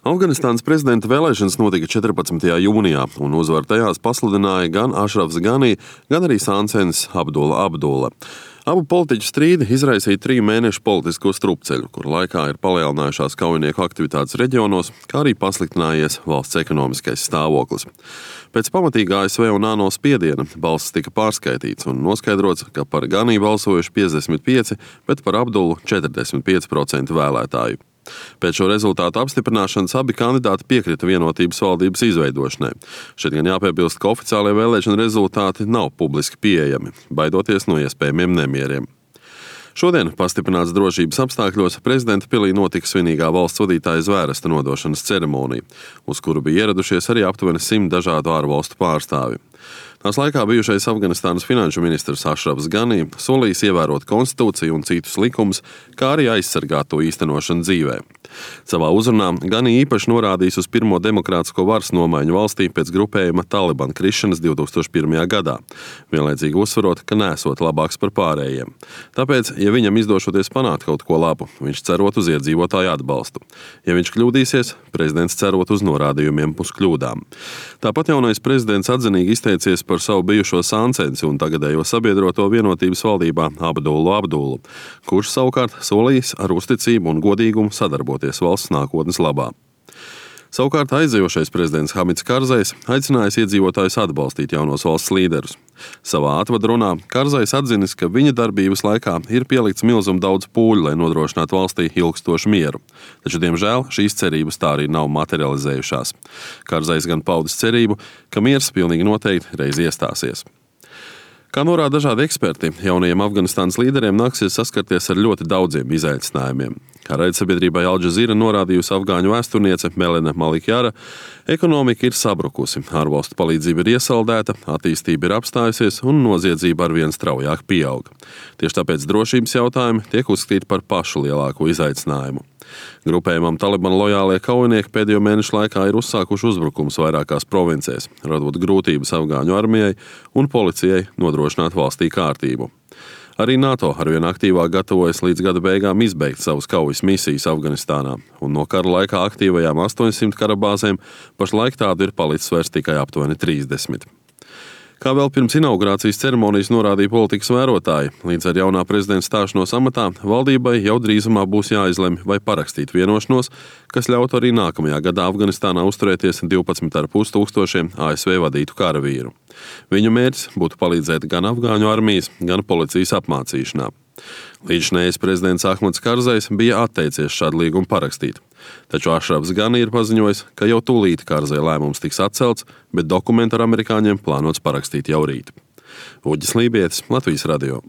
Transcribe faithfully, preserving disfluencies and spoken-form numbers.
Afganistānas prezidenta vēlēšanas notika četrpadsmitajā jūnijā, un uzvaru tajās pasludināja gan Ašrafs Ganī, gan arī Sansenis Abdulla Abdulla. Abu politiķu strīdi izraisīja triju mēnešu politisko strupceļu, kur laikā ir palielinājušās kaujinieku aktivitātes reģionos, kā arī pasliktinājies valsts ekonomiskais stāvoklis. Pēc pamatīgā A S V un ANO spiediena balsis tika pārskaitīts un noskaidrots, ka par Ganī balsojuši piecdesmit pieci, bet par Abdullu četrdesmit pieci procenti vēlētāju. Pēc šo rezultātu apstiprināšanas abi kandidāti piekrita vienotības valdības izveidošanai. Šeit gan jāpiebilst, ka oficiālie vēlēšana rezultāti nav publiski pieejami, baidoties no iespējamiem nemieriem. Šodien, pastiprināts drošības apstākļos, prezidenta pilī notika svinīgā valsts vadītāja zvērsta nodošanas ceremonija, uz kuru bija ieradušies arī aptuveni simt dažādu ārvalstu pārstāvi. Tās laikā bijušais Afganistānas finanšu ministrs Ašrafs Ganī solījis ievērot konstitūciju un citus likumus, kā arī aizsargāt to īstenošanu dzīvē. Savā uzrunā Ganī īpaši norādījis uz pirmo demokrātisko varas nomaiņu valstī pēc grupējuma Taliban krišanas divi tūkstoši pirmajā gadā, vienlaicīgi uzsverot, ka nesot labāks par pārējiem. Tāpēc, ja viņam izdošoties panākt kaut ko labu, viņš cerot uz iedzīvotāju atbalstu. Ja viņš kļūdīsies, prezidents cerot uz norādījumiem uz kļūdām. Tāpat jaunais prezidents atzinīgi izteicies par savu bijušo Sansensi un tagadējo sabiedroto vienotības valdībā Abdullu Abdullu, kurš savukārt solījis ar uzticību un godīgumu sadarboties valsts nākotnes labā. Savukārt aizejošais prezidents Hamids Karzais aicinājis iedzīvotājus atbalstīt jaunos valsts līderus. Savā atvadrunā Karzais atzinis, ka viņa darbības laikā ir pielikts milzumu daudz pūļu, lai nodrošinātu valstī ilgstošu mieru. Taču, diemžēl, šīs cerības tā arī nav materializējušās. Karzais gan paudis cerību, ka miers pilnīgi noteikti reiz iestāsies. Kā norāda dažādi eksperti, jaunajiem Afganistānas līderiem nāksies saskarties ar ļoti daudziem izaicinājumiem. Kā raidsabiedrībai Al Jazeera norādījusi afgāņu vēsturniece Melena Malikjara, ekonomika ir sabrukusi, ārvalstu palīdzība ir iesaldēta, attīstība ir apstājusies un noziedzība arvien straujāk pieaug. Tieši tāpēc drošības jautājumi tiek uzskatīti par pašu lielāko izaicinājumu. Grupējumam Taliban lojālie kaujinieki pēdējo mēnešu laikā ir uzsākuši uzbrukumus vairākās provincēs, radot grūtības afgāņu armijai un policijai nodrošināt valstī kārtību. Arī NATO arvien aktīvāk gatavojas līdz gada beigām izbeigt savus kaujas misijas Afganistānā, un no kara laikā aktīvajām astoņsimt karabāzēm pašlaik tādu ir palicis vairs tikai aptuveni trīsdesmit. Kā vēl pirms inaugurācijas ceremonijas norādīja politikas vērotāji, līdz ar jaunā prezidenta stāšanos amatā valdībai jau drīzumā būs jāizlemj, vai parakstīt vienošanos, kas ļautu arī nākamajā gadā Afganistānā uzturēties divpadsmit ar pus tūkstošiem A S V vadītu karavīru. Viņu mērķis būtu palīdzēt gan afgāņu armijas, gan policijas apmācīšanā. Līdzinējais prezidents Ahmads Karzais bija atteicies šādu līgumu parakstīt. Taču Ašrafs Ganī ir paziņojis, ka jau tūlīt Karzai lēmums tiks atcelts, bet dokumentu ar amerikāņiem plānots parakstīt jau rīt. Uģis Lībietis, Latvijas radio.